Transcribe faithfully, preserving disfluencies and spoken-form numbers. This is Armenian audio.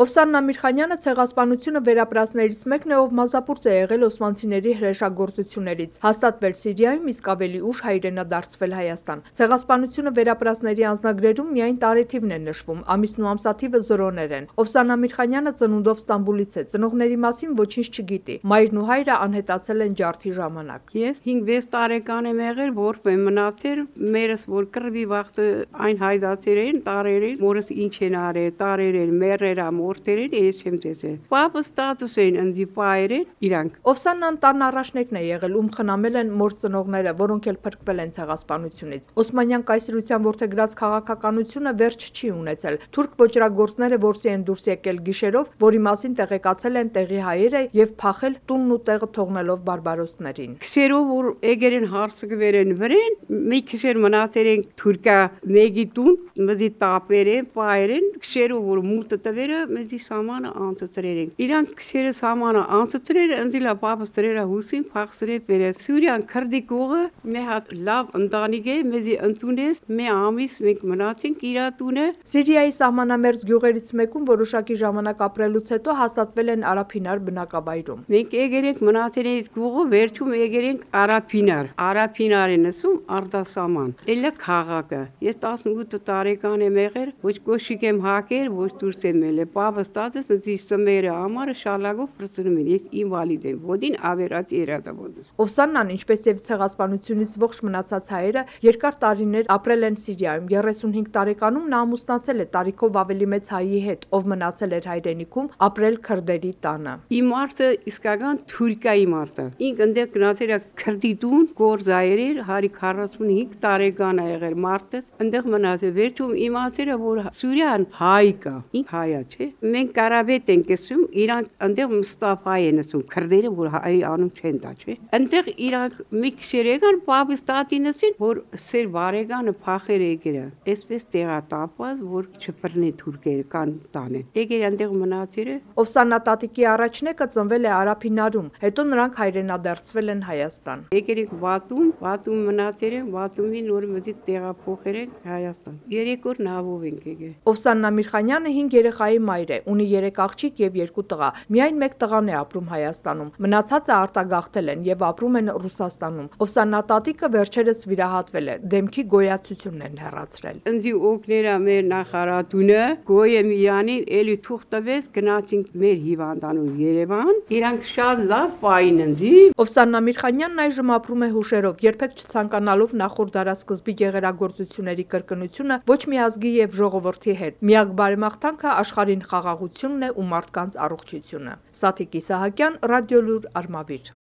Օվսան Ամիրխանյանը ցեղասպանությունը վերապրածներից մեկն է, ով մազապուրծ է եղել օսմանցիների հրեշագործություններից, հաստատվել Սիրիայում, իսկ ավելի ուշ հայրենադարձվել Հայաստան։ Ցեղասպանությունը վերապրածների անձնագրերում միայն տարեթիվն է նշվում, ամիսն ու ամսաթիվը զրոներ են։ Օվսան Ամիրխանյանը ծնունդով Ստամբուլից է, ծնողների մասին ոչինչ չգիտի։ Մայրն ու հայրը անհետացել են ջարդի ժամանակ։ Ես հինգ-վեց տարեկան եմ եղել, որպես մնացել, մերս որ կռվի վաղտը այն հայդացերեն, տարերեն, մորս ինչ են արել, տարերեն, մերերա, մորթերեն, ես չեմ տեսել։ Պապս տատս են ընձի պայրեն, իրանք։ Օվսանն անտառն առաջնեկն է եղել, ում խնամել են մոր ծնողները, որոնք էլ փրկվել են ցեղասպանությունից։ Օսմանյան կայսրության որդեգրած քաղաքականությունը վերջ չի ունեցել։ Թուրք ոճրագործները որսի են դուրս եկել գիշերով, որի մասին տեղեկացել են տեղի հայերը եւ փախել տունն ու տեղը թողնելով բարբարոսներին։ Քշերով որ եկել են հարցկվել են վրեն, մի քշեր մնացել են թուրքա մեգի տուն, մզի տապերեն, պայրեն, քշերով որ մուտը տվերը, մեզի սամանը անցտրել են։ Իրանք քշերը սամանը անցտրել, ընձիլա պապս դրերա հուսին փախսրել բերել։ Սուրիան քրդի կողը մի հատ լավ ընտանիք է, մեզի ընդունես, մի ամիս մենք մնացինք իրա տունը։ Սիրիայի սահմանամերձ գյուղերից մեկում որոշակի ժամանակ ապրելուց հետո հաստատվել են Արափինար բնակավայրում։ Մենք եկել ենք մնացել ենք գյուղը, վերջում եկել ենք Արափինար։ Արափինարը նսում արդասաման։ Էլա քաղաքը։ Ես տասնութ տարեկան եմ եղել, ոչ կոշիկ եմ հակեր, ոչ դուրս եմ ելել։ Պապս տատս ինձ սմերը ամառը շալագով պրծնում են։ Ես ինվալիդ եմ, ոդին ավերած երադավոդս։ Օվսաննան, ինչպես եւ ցեղասպանությունից ողջ մնացած հայերը, երկար տարիներ ապրել են Սիրիայում։ երեսունհինգ տարեկանում նա ամուսնացել է տարիքով ավելի մեծ հայի հետ, ով մնացել էր հայրենիքում, ապրել քրդերի տանը։ Իմ մարդը իսկական թուրքայի մարդը։ Ինք ընդեղ գնացել է քրդի տուն, գործայրեր, հարի քառասունհինգ տարեկան է եղել մարդս, ընդեղ մնացել։ Վերջում իմացել է, որ Սուրիան հայ կա, ինք հայա չէ։ Մենք կարաբետ ենք ասում, իրանք ընդեղ Մուստաֆա են ասում, քրդերը որ հայ անում չեն տա, չէ։ Ընդեղ իրանք մի քշեր եկան, պապիս տատինսին, որ սեր բարեկանը փախեր եկել է։ Այսպես տեղատապված, որ չփռնի թուրքերը կան տանեն։ Եկել ընդեղ մնացել է։ Օվսաննա տատիկի առաջնեկը ծնվել է Արափինարում, հետո նրանք հայրենադարձվել են Հայաստան։ Եկել ենք Վատում, Վատում մնացել են, Վատումին նոր մտի տեղափոխել են Հայաստան։ Երեք օր նավով ենք եկել։ Օվսան Ամիրխանյանը հինգ երեխայի մայր է, ունի երեք աղջիկ եւ երկու տղա։ Միայն մեկ տղան է ապրում Հայաստանում։ Մնացածը արտագաղթել են եւ ապրում են Ռուսաստանում։ Օվսաննա տատիկը վերջերս վիրահատվել է, դեմքի գոյացությունն են հեռացրել։ Ընձի օգներա մեր նախարարությունը, գոյե միանին էլի թուղթ տվեց, գնացինք մեր հիվանդանոց Երևան։ Իրանք շատ լավ պայն ընձի։ Օվսան Ամիրխանյանն այժմ ապրում է հուշերով, երբեք չցանկանալով նախորդ դարասկզբի գեղերագործությունների կրկնությունը ոչ մի ազգի եւ ժողովրդի հետ։ Միակ բարեմաղթանքը աշխարհին խաղաղությունն է ու մարդկանց առողջությունը։ Սաթիկ Իսահակյան, Ռադիոլուր, Արմավիր։